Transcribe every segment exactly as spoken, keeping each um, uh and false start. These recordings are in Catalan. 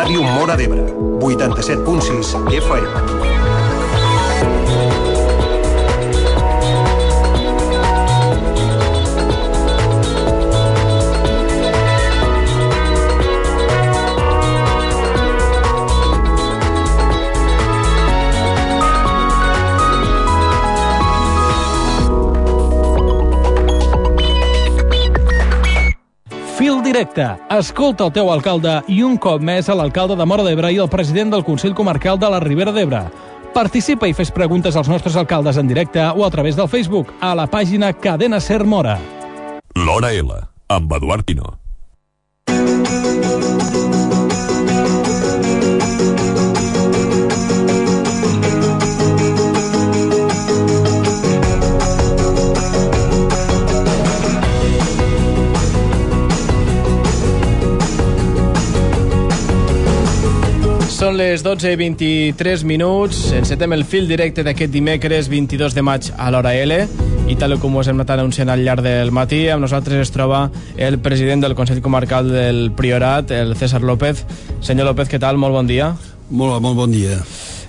Ràdio Móra d'Ebre, vuitanta-set punt sis F M. Fil directe. Escolta el teu alcalde i un cop més a l'alcalde de Móra d'Ebre i el president del Consell Comarcal de la Ribera d'Ebre. Participa i fes preguntes als nostres alcaldes en directe o a través del Facebook a la pàgina Cadena Ser Móra. L'Hora L, amb Eduard Pino. Són les dotze i vint-i-tres minuts. Encetem el fil directe d'aquest dimecres vint-i-dos de maig a l'Hora L i tal com us hem anat anunciant al llarg del matí, amb nosaltres es troba el president del Consell Comarcal del Priorat, el César López. Senyor López, què tal? Molt bon dia. Molt, molt bon dia.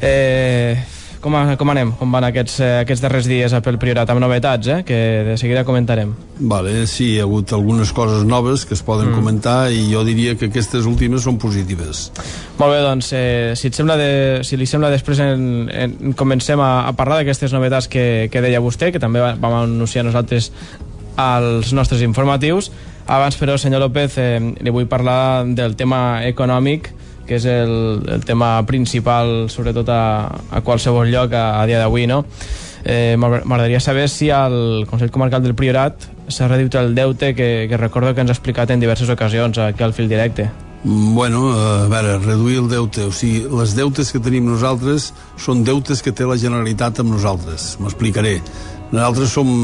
Eh, com, com anem? Com van aquests, aquests darrers dies pel Priorat? Amb novetats, eh? Que de seguida comentarem. Vale, sí, hi ha hagut algunes coses noves que es poden mm. comentar i jo diria que aquestes últimes són positives. Molt bé, doncs, eh, si, et sembla de, si li sembla, després en, en, comencem a, a parlar d'aquestes novetats que, que deia vostè, que també vam anunciar nosaltres als nostres informatius. Abans, però, senyor López, eh, li vull parlar del tema econòmic, que és el, el tema principal, sobretot a, a qualsevol lloc a, a dia d'avui, no? Eh, M'agradaria saber si al Consell Comarcal del Priorat s'ha reduït el deute que, que recordo que ens ha explicat en diverses ocasions aquí al fil directe. Bueno, a veure, reduir el deute, o sigui, les deutes que tenim nosaltres són deutes que té la Generalitat amb nosaltres. M'explicaré. Nosaltres som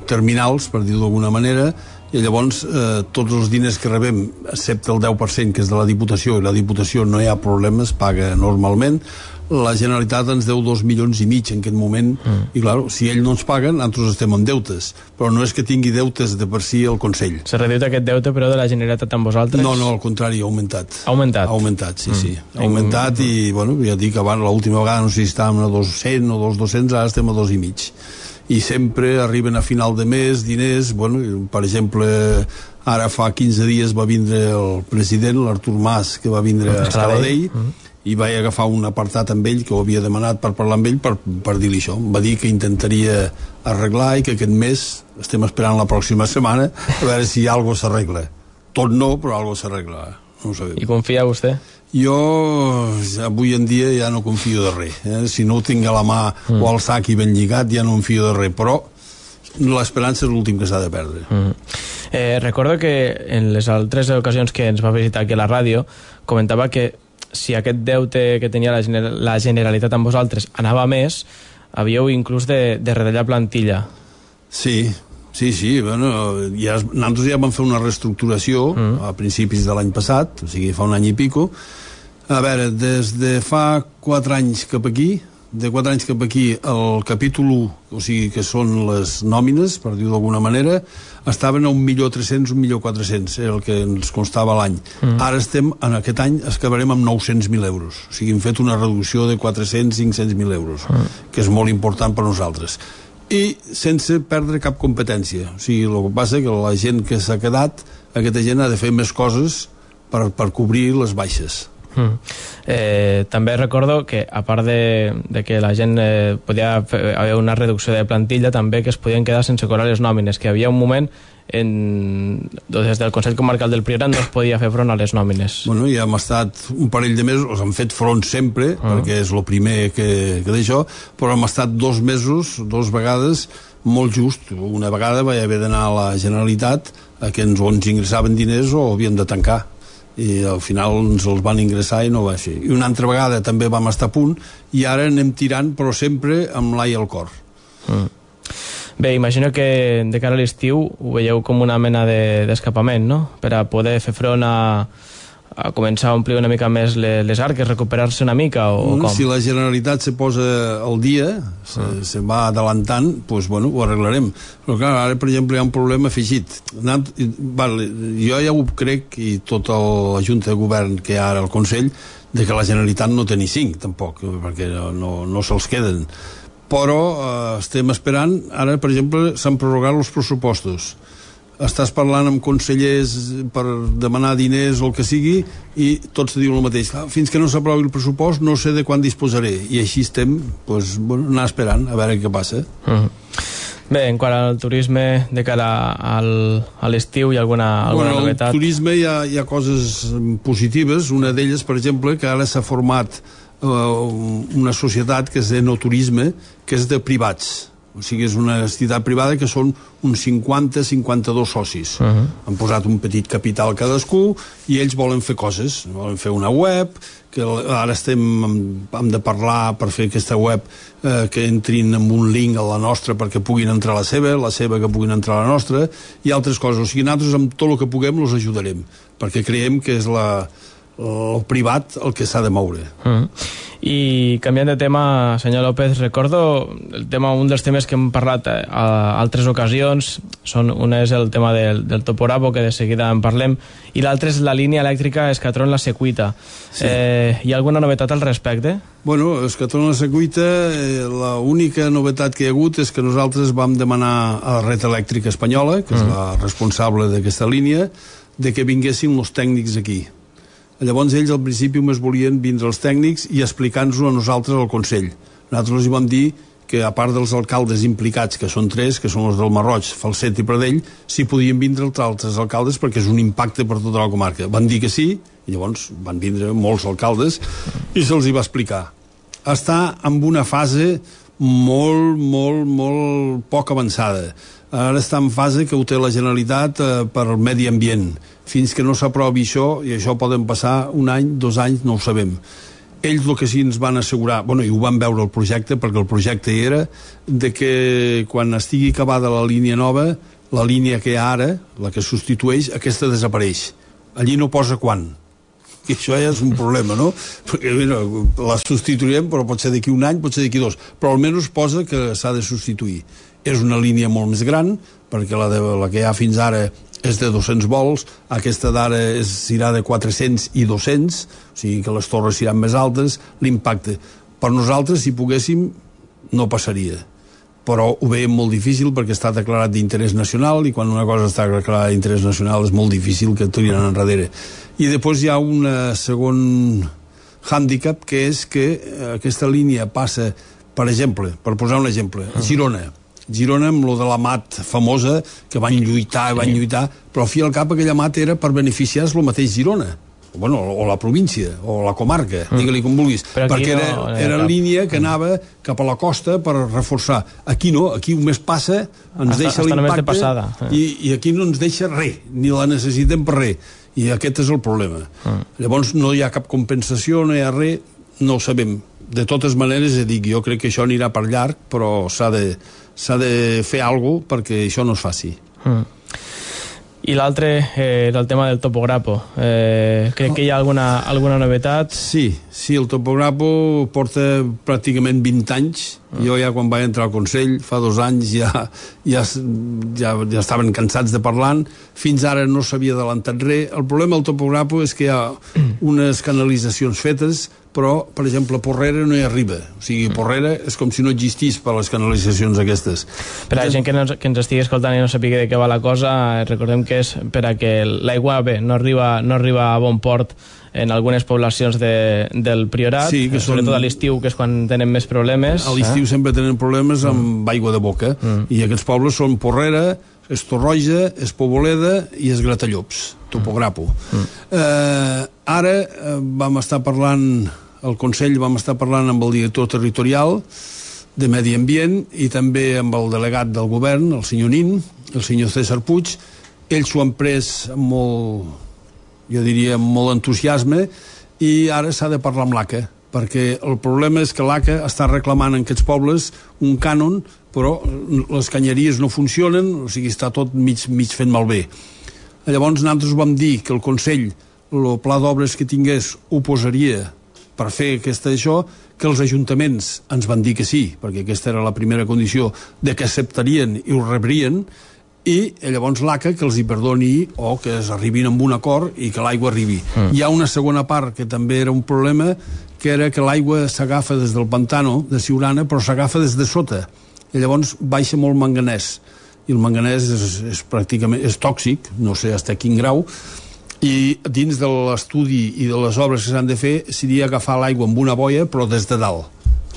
terminals, per dir-ho d'alguna manera, i llavors eh, tots els diners que rebem, excepte el deu per cent que és de la Diputació, i la Diputació no hi ha problemes, paga normalment, la Generalitat ens deu dos milions i mig en aquest moment, mm. i clar, si ells no ens paguen, nosaltres estem amb deutes, però no és que tingui deutes de per si el Consell. S'ha reduït aquest deute, però, de la Generalitat amb vosaltres? No, no, al contrari, ha augmentat. Ha augmentat? Ha augmentat, sí, mm. sí. Ha mm. augmentat i, bueno, ja dic, abans, l'última vegada, no sé si estàvem a dos cents o dos dos-cents, ara estem a dos i mig. I sempre arriben a final de mes diners, bueno, per exemple, ara fa quinze dies va vindre el president, l'Artur Mas, que va vindre a Sabadell, mm. i vaig agafar un apartat amb ell que ho havia demanat per parlar amb ell per, per dir-li això. Em va dir que intentaria arreglar i que aquest mes estem esperant la pròxima setmana a veure si alguna cosa s'arregla. Tot no, però alguna cosa s'arregla. No ho sabem. I confia vostè? Jo avui en dia ja no confio de res, eh? Si no ho tinc a la mà mm. o al sac i ben lligat ja no confio de res, però l'esperança és l'últim que s'ha de perdre. Mm. Eh, recordo que en les altres ocasions que ens va visitar aquí a la ràdio comentava que si aquest deute que tenia la, gener la Generalitat amb vosaltres anava més, havíeu inclús de, de retallar plantilla. Sí, sí, sí, bueno, ja, nosaltres ja vam fer una reestructuració mm. a principis de l'any passat, o sigui, fa un any i pico. A veure, des de fa quatre anys cap aquí, de quatre anys cap aquí, el capítol u, o sigui, que són les nòmines, per dir-ho d'alguna manera, estaven a un milió tres-cents, un milió quatre-cents, era el que ens constava l'any. Mm. Ara estem, en aquest any, acabarem amb nou-cents mil euros. O sigui, hem fet una reducció de quatre-cents, cinc-cents mil euros, mm. que és molt important per nosaltres. I sense perdre cap competència. O sigui, el que passa és que la gent que s'ha quedat, aquesta gent ha de fer més coses per, per cobrir les baixes. Mm. Eh, també recordo que a part de, de que la gent eh, podia haver una reducció de plantilla, també que es podien quedar sense cobrar les nòmines, que hi havia un moment en, des del Consell Comarcal del Priorat no es podia fer front a les nòmines. Bueno, ja hem estat un parell de mesos, hem fet front sempre, mm. perquè és el primer que, que d'això, però hem estat dos mesos, dos vegades, molt just. Una vegada vaig haver d'anar a la Generalitat a que ens, o ens ingressaven diners o havíem de tancar, i al final ens els van ingressar i no va ser. I una altra vegada també vam estar a punt i ara anem tirant, però sempre amb l'ai al cor. Mm. Bé, imagino que de cara a l'estiu ho veieu com una mena d'escapament, de, no? Per a poder fer front a, a començar a omplir una mica més les, les arques, recuperar-se una mica, o, o com? Si la Generalitat se posa al dia, se, mm. se va adelantant, doncs, bueno, ho arreglarem. Però, clar, ara, per exemple, hi ha un problema afegit. Anant, vale, jo ja ho crec, i tota la Junta de Govern que hi ha ara al Consell, de que la Generalitat no té ni cinc, tampoc, perquè no, no se'ls queden. Però eh, estem esperant, ara, per exemple, s'han prorrogat els pressupostos. Estàs parlant amb consellers per demanar diners o el que sigui i tots te diuen el mateix. Fins que no s'aprovi el pressupost no sé de quan disposaré. I així estem, doncs, bueno, anar esperant a veure què passa. Uh-huh. Bé, en quant al turisme de cara al, a l'estiu, hi ha alguna, alguna bueno, novetat? Al turisme hi ha, hi ha coses positives. Una d'elles, per exemple, que ara s'ha format uh, una societat que és de no turisme, que és de privats. O sigui, és una entitat privada que són uns cinquanta a cinquanta-dos socis. Uh-huh. Han posat un petit capital cadascú i ells volen fer coses. Volen fer una web, que ara estem, hem de parlar per fer aquesta web eh, que entrin amb un link a la nostra perquè puguin entrar a la seva, la seva que puguin entrar a la nostra, i altres coses. O sigui, nosaltres amb tot el que puguem els ajudarem, perquè creiem que és la, el privat el que s'ha de moure. Uh-huh. I canviant de tema, senyor López, recordo el tema, un dels temes que hem parlat a altres ocasions, són, un és el tema del, del topografo, que de seguida en parlem, i l'altre és la línia elèctrica Escatron-La Secuita. Sí. Eh, hi ha alguna novetat al respecte? Bueno, Escatron-La Secuita, eh, l'única novetat que hi ha hagut és que nosaltres vam demanar a la Red Elèctrica Espanyola, que és mm. la responsable d'aquesta línia, de que vinguessin els tècnics aquí. Llavors ells al principi només volien vindre els tècnics i explicar-nos-ho a nosaltres al Consell. Nosaltres els vam dir que a part dels alcaldes implicats, que són tres, que són els del Marroig, Falset i Pradell, sí podien vindre els altres alcaldes perquè és un impacte per tota la comarca. Van dir que sí, i llavors van vindre molts alcaldes i se'ls hi va explicar. Està en una fase molt, molt, molt poc avançada. Ara està en fase que ho té la Generalitat eh, per al medi ambient. Fins que no s'aprovi això, i això poden passar un any, dos anys, no ho sabem. Ells el que sí ens van assegurar, bueno, i ho van veure el projecte, perquè el projecte era de que quan estigui acabada la línia nova, la línia que hi ha ara, la que substitueix, aquesta desapareix. Allí no posa quan. I això ja és un problema, no? Perquè, mira, la substituirem, però pot ser d'aquí un any, pot ser d'aquí dos. Però almenys posa que s'ha de substituir. És una línia molt més gran, perquè la, de, la que hi ha fins ara és de dos-cents volts, aquesta d'ara serà de quatre-cents i dos-cents, o sigui que les torres seran més altes, l'impacte. Per nosaltres, si poguéssim, no passaria. Però ho veiem molt difícil perquè està declarat d'interès nacional i quan una cosa està declarada d'interès nacional és molt difícil que tirin enrere. I després hi ha un segon hàndicap, que és que aquesta línia passa, per exemple, per posar un exemple, a Girona, Girona amb lo de la mat famosa, que van lluitar, van lluitar, però al fi al cap aquella mat era per beneficiar-se el mateix Girona, bueno, o la província, o la comarca, mm. digue-li com vulguis, perquè era, no, era línia que anava cap a la costa per reforçar. Aquí no, aquí només passa, ens hasta, deixa l'impacte, i, i aquí no ens deixa res, ni la necessitem per res, i aquest és el problema. Mm. Llavors no hi ha cap compensació, no hi ha res, no ho sabem. De totes maneres, dic, jo crec que això anirà per llarg, però s'ha de, s'ha de fer alguna cosa perquè això no es faci. Mm. I l'altre eh, era el tema del topografo. Eh, crec que hi ha alguna, alguna novetat? Sí, sí, el topografo porta pràcticament vint anys. Mm. Jo ja quan vaig entrar al Consell, fa dos anys, ja, ja, ja, ja estaven cansats de parlar. Fins ara no s'havia adelantat res. El problema del topografo és que hi ha unes canalitzacions fetes, però, per exemple, a Porrera no hi arriba. O sigui, Porrera és com si no existís per les canalitzacions aquestes. Per a la gent que, no, que ens estigui escoltant i no sàpiga de què va la cosa, recordem que és per a que l'aigua, bé, no arriba, no arriba a bon port en algunes poblacions de, del Priorat, sí, que sobretot són... a l'estiu, que és quan tenen més problemes. A l'estiu eh? sempre tenen problemes amb mm. aigua de boca, mm. i aquests pobles són Porrera, és Torroja, és Poboleda i és Gratallops, topografo. Mm. Eh, ara eh, vam estar parlant, al Consell vam estar parlant amb el director territorial de Medi Ambient i també amb el delegat del govern, el senyor Nin, el senyor César Puig. Ells s'ho han pres amb molt, jo diria, amb molt entusiasme, i ara s'ha de parlar amb l'A C A, perquè el problema és que l'A C A està reclamant en aquests pobles un cànon, però les canyeries no funcionen, o sigui, està tot mig, mig fent malbé. Llavors nosaltres vam dir que el Consell el pla d'obres que tingués ho posaria per fer aquesta això, que els ajuntaments ens van dir que sí, perquè aquesta era la primera condició de que acceptarien i ho rebrien, i llavors l'A C A que els hi perdoni o que es arribin amb un acord i que l'aigua arribi. Mm. Hi ha una segona part que també era un problema, que era que l'aigua s'agafa des del pantano de Siurana, però s'agafa des de sota, i llavors baixa molt manganès, i el manganès és, és pràcticament és tòxic, no sé fins a quin grau, i dins de l'estudi i de les obres que s'han de fer seria agafar l'aigua amb una boia però des de dalt,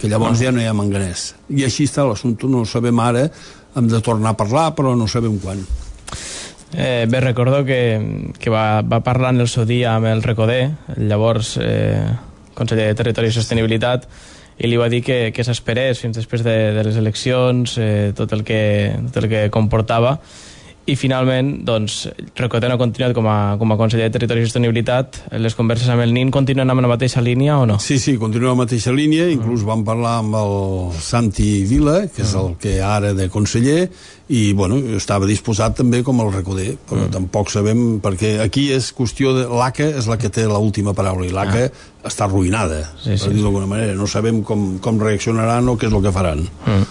que llavors ja no hi ha manganès, i així està l'assumpte. No ho sabem ara, hem de tornar a parlar però no sabem quan. Eh, bé, recordo que, que va, va parlar en el seu dia amb el Recoder, el llavors eh, conseller de Territori i Sostenibilitat, i li va dir que, que s'esperés fins després de, de les eleccions, eh, tot, el que, tot el que comportava, i finalment, doncs, Recoder no ha continuat com a, com a conseller de Territori i Sostenibilitat. Les converses amb el N I N continuen amb la mateixa línia o no? Sí, sí, continua amb la mateixa línia, inclús vam parlar amb el Santi Vila, que és el que ara de conseller, i bueno, estava disposat també com el Recoder, però mm. tampoc sabem, perquè aquí és qüestió de l'A C A és la que té l'última paraula, i l'A C A ah. està arruïnada, sí, per sí, dir-ho d'alguna manera. No sabem com, com reaccionaran o què és el que faran. Mm.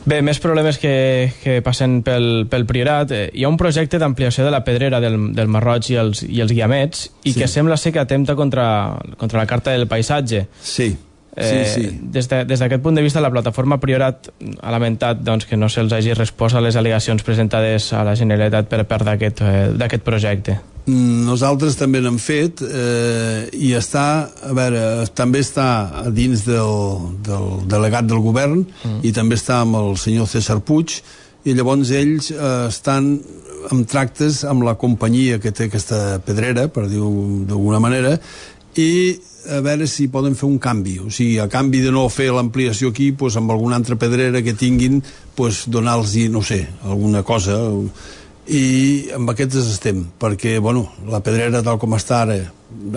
Bé, més problemes que, que passen pel, pel Priorat. Eh, hi ha un projecte d'ampliació de la pedrera del, del Marroig i els, i els Guiamets, i sí. que sembla ser que atempta contra, contra la Carta del Paisatge. Sí, eh, sí, sí. Des de, des d'aquest punt de vista, la plataforma Priorat ha lamentat doncs, que no se'ls hagi respost a les al·legacions presentades a la Generalitat per part d'aquest eh, projecte. Nosaltres també n'hem fet, eh, i està, a veure, també està dins del, del delegat del govern, mm. i també està amb el senyor César Puig, i llavors ells eh, estan en tractes amb la companyia que té aquesta pedrera, per dir-ho d'alguna manera, i a veure si poden fer un canvi, o sigui, a canvi de no fer l'ampliació aquí, pues, amb alguna altra pedrera que tinguin, pues, donar-los, no sé, alguna cosa, i amb aquestes estem, perquè bueno, la pedrera tal com està ara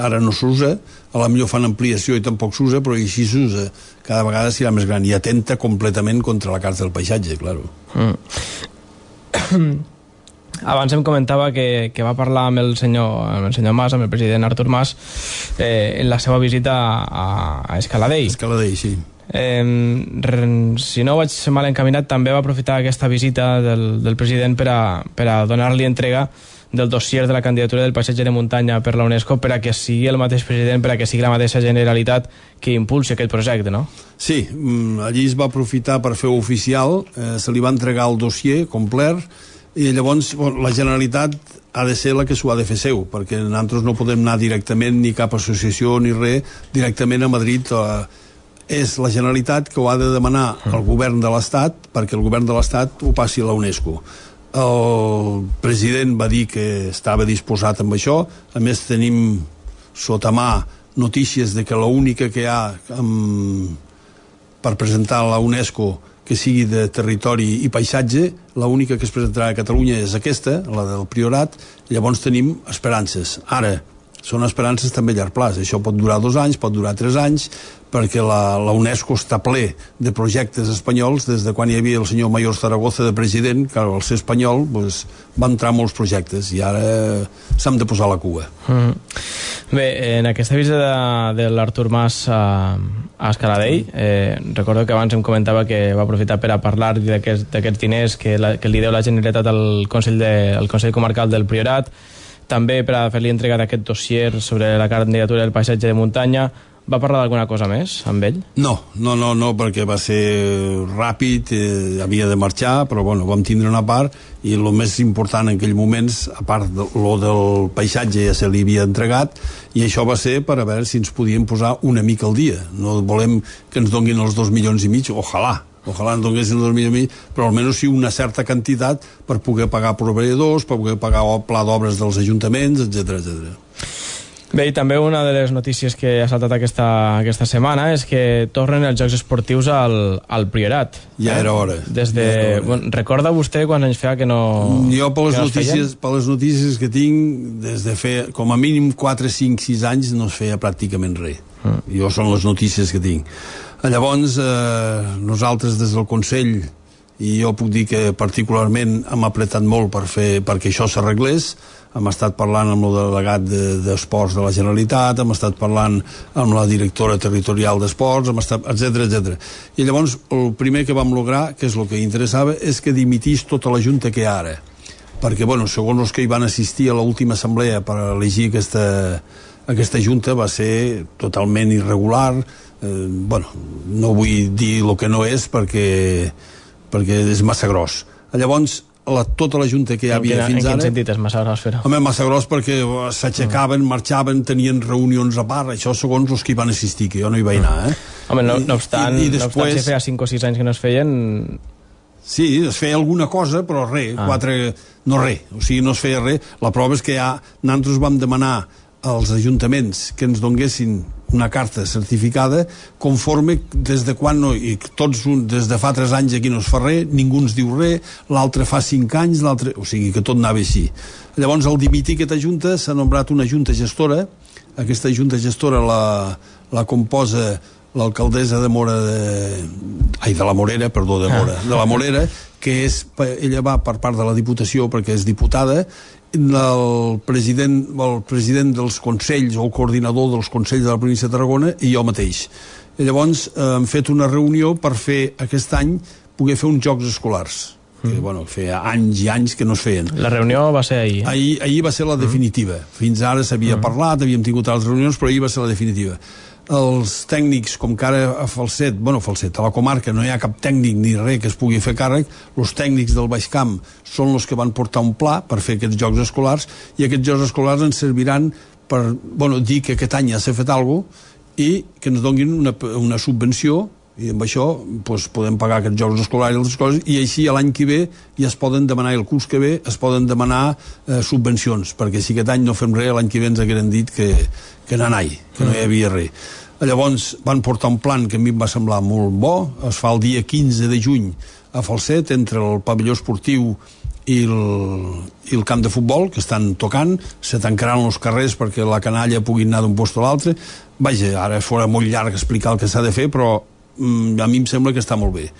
ara no s'usa, a la millor fan ampliació i tampoc s'usa, però així s'usa cada vegada serà més gran i atenta completament contra la Carta del Paisatge, claro. mm. Abans em comentava que, que va parlar amb el senyor, amb el senyor Mas, amb el president Artur Mas, eh, en la seva visita a, a Escaladell. Escaladell, sí. Eh, si no vaig mal encaminat, també va aprofitar aquesta visita del, del president per a, per a donar-li entrega del dossier de la candidatura del paisatge de muntanya per la UNESCO, per a que sigui el mateix president, per a que sigui la mateixa Generalitat que impulsi aquest projecte, no? Sí, allí es va aprofitar per fer oficial, eh, se li va entregar el dossier complet, i llavors bueno, la Generalitat ha de ser la que s'ho ha de fer seu, perquè nosaltres no podem anar directament, ni cap associació ni res, directament a Madrid. Eh, és la Generalitat que ho ha de demanar al govern de l'Estat, perquè el govern de l'Estat ho passi a la UNESCO. El president va dir que estava disposat amb això, a més tenim sota mà notícies de que l'única que hi ha amb, per presentar a la UNESCO que sigui de territori i paisatge, l'única que es presentarà a Catalunya és aquesta, la del Priorat, llavors tenim esperances. Ara, són esperances també a llarg plaç, això pot durar dos anys, pot durar tres anys, perquè la, la UNESCO està ple de projectes espanyols des de quan hi havia el senyor Mayor Zaragoza de president, que al ser espanyol pues, va entrar molts projectes i ara s'han de posar la cua. Mm. Bé, en aquesta visita de, de l'Artur Mas a, a Escaladell, eh, recordo que abans em comentava que va aprofitar per a parlar d'aquests diners que, la, que li deu la Generalitat al Consell, de, al Consell Comarcal del Priorat, també per a fer-li entrega d'aquest dossier sobre la candidatura del paisatge de muntanya. Va parlar d'alguna cosa més amb ell? No, no, no, no, perquè va ser ràpid, eh, havia de marxar, però bueno, vam tindre una part, i el més important en aquells moments, a part de lo del paisatge ja se li havia entregat, i això va ser per a veure si ens podíem posar una mica al dia. No volem que ens donguin els dos milions i mig, ojalà, ojalà ens donguessin dos milions i mig, però almenys sí una certa quantitat per poder pagar proveïdors, per poder pagar el pla d'obres dels ajuntaments, etcètera, etcètera. Bé, i també una de les notícies que ha saltat aquesta, aquesta setmana és que tornen els Jocs Esportius al, al Priorat. Ja era hora. Des de... ja era hora. Bueno, recorda vostè quan anys feia que no... Jo, per les, notícies, per les notícies que tinc, des de fer com a mínim quatre, cinc, sis anys no es feia pràcticament res. Mm. Jo són les notícies que tinc. Llavors, eh, nosaltres des del Consell, i jo puc dir que particularment hem apretat molt per fer, perquè això s'arreglés, hem estat parlant amb el delegat d'Esports de, de la Generalitat, hem estat parlant amb la directora territorial d'Esports, hem estat, etcètera, etcètera. I llavors el primer que vam lograr, que és el que interessava, és que dimitís tota la junta que hi ha ara. Perquè, bueno, segons els que hi van assistir a l'última assemblea per elegir aquesta, aquesta junta va ser totalment irregular. Eh, bueno, no vull dir el que no és perquè, perquè és massa gros. Llavors, la, tota la junta que hi havia quina, fins ara... En quin sentit és massa gros fer-ho? Home, massa gros perquè s'aixecaven, mm. marxaven, tenien reunions a part, això segons els que hi van assistir, que jo no hi vaig anar, eh? Home, no, no obstant, I, i després... no obstant si feia cinc o sis anys que no es feien... Sí, es feia alguna cosa, però res, ah. quatre... no res, o sigui, no es feia res. La prova és que ja nosaltres vam demanar als ajuntaments que ens donguessin una carta certificada conforme des de quan no, i tots des de fa tres anys aquí no es fa res, ningú ens diu res, l'altre fa cinc anys, l'altre... o sigui que tot anava així. Llavors, al dimitir aquesta junta, s'ha nombrat una junta gestora. Aquesta junta gestora la, la composa l'alcaldessa de Mora de... ai, de la Morera, perdó, de Mora, de la Morera, que és, ella va per part de la Diputació perquè és diputada, el president, el president dels consells o el coordinador dels consells de la província de Tarragona i jo mateix. I llavors eh, hem fet una reunió per fer aquest any poder fer uns jocs escolars que, mm. bueno, feia anys i anys que no es feien. La reunió va ser ahir, eh? Ahir, ahir va ser la definitiva. Mm. Fins ara s'havia mm. parlat, havíem tingut altres reunions, però ahir va ser la definitiva. Els tècnics, com que ara a Falset, bueno, Falset, a la comarca no hi ha cap tècnic ni res que es pugui fer càrrec, els tècnics del Baix Camp són els que van portar un pla per fer aquests jocs escolars, i aquests jocs escolars ens serviran per, bueno, dir que aquest any ja s'ha fet alguna cosa i que ens donguin una, una subvenció, i amb això doncs, podem pagar aquests jocs escolars i altres coses, i així l'any que ve ja es poden demanar, el curs que ve es poden demanar eh, subvencions, perquè si aquest any no fem res, l'any que ve ens hagueren dit que, que no anai, que no hi havia res. Llavors van portar un plan que a mi em va semblar molt bo, es fa el dia quinze de juny a Falset, entre el pavelló esportiu i el, i el camp de futbol, que estan tocant, se tancaran els carrers perquè la canalla pugui anar d'un lloc a l'altre. Vaja, ara fora molt llarg explicar el que s'ha de fer, però mm, a mi em sembla que està molt bé.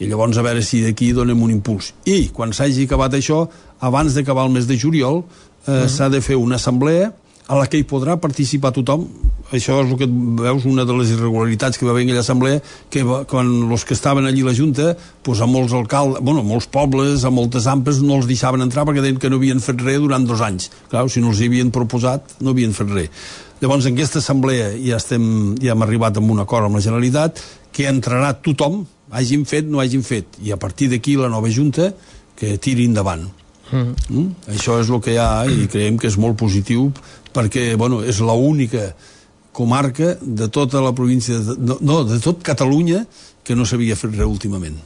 I llavors a veure si d'aquí donem un impuls. I quan s'hagi acabat això, abans d'acabar el mes de juliol, eh, uh-huh. s'ha de fer una assemblea a la que hi podrà participar tothom. Això és el que veus, una de les irregularitats que va haver en aquella assemblea, que va, quan els que estaven allí a la Junta, doncs a molts alcaldes, bueno, a molts pobles, a moltes ampes, no els deixaven entrar perquè deien que no havien fet res durant dos anys. Clar, si no els hi havien proposat, no havien fet res. Llavors, en aquesta assemblea ja, estem, ja hem arribat amb un acord amb la Generalitat, que entrarà tothom, hagin fet, no hagin fet, i a partir d'aquí la nova Junta que tiri endavant. Mm. Mm? Això és el que hi ha i creiem que és molt positiu perquè, bueno, és l'única comarca de tota la província de, no, no, de tot Catalunya que no s'havia fet res últimament.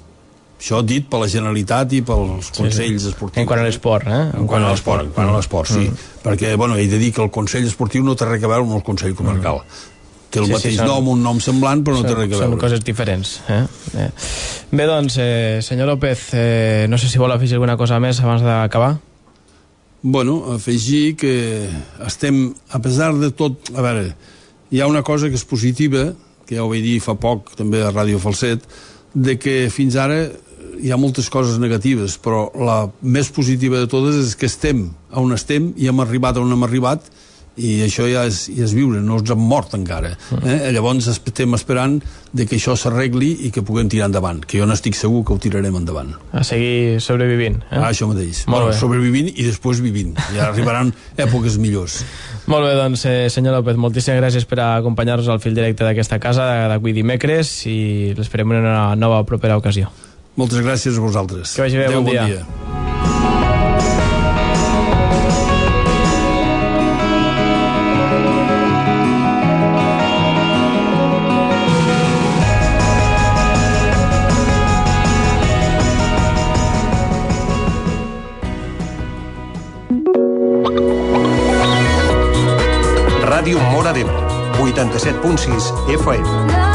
Això dit per la Generalitat i pels consells sí, sí. esportius. En quant a l'esport, eh? En quant a l'esport, en quant a l'esport, sí. Mm. Perquè, bueno, he de dir que el Consell Esportiu no té res a veure amb el Consell Comarcal. Mm. Té el sí, mateix sí, són, nom, un nom semblant, però no són, té res a veure. Són coses diferents. Eh? Eh. Bé, doncs, eh, senyor López, eh, no sé si vol afegir alguna cosa més abans d'acabar. Bueno, afegir que estem, a pesar de tot, a veure, hi ha una cosa que és positiva, que ja ho vaig dir fa poc també a Ràdio Falset, de que fins ara hi ha moltes coses negatives, però la més positiva de totes és que estem on estem i hem arribat on hem arribat, i això ja és, ja és viure, no ens hem mort encara. Eh? Llavors estem esperant de que això s'arregli i que puguem tirar endavant, que jo n'estic segur que ho tirarem endavant. A seguir sobrevivint. Eh? Ah, això mateix. Bueno, sobrevivint i després vivint. Ja arribaran èpoques millors. Molt bé, doncs, eh, senyor López, moltíssimes gràcies per acompanyar-nos al fil directe d'aquesta casa d'avui dimecres i l'esperem en una nova propera ocasió. Moltes gràcies a vosaltres. Que vagi bé, bon dia. Bon dia. Ràdio Móra d'Ebre, vuitanta-set punt sis F M.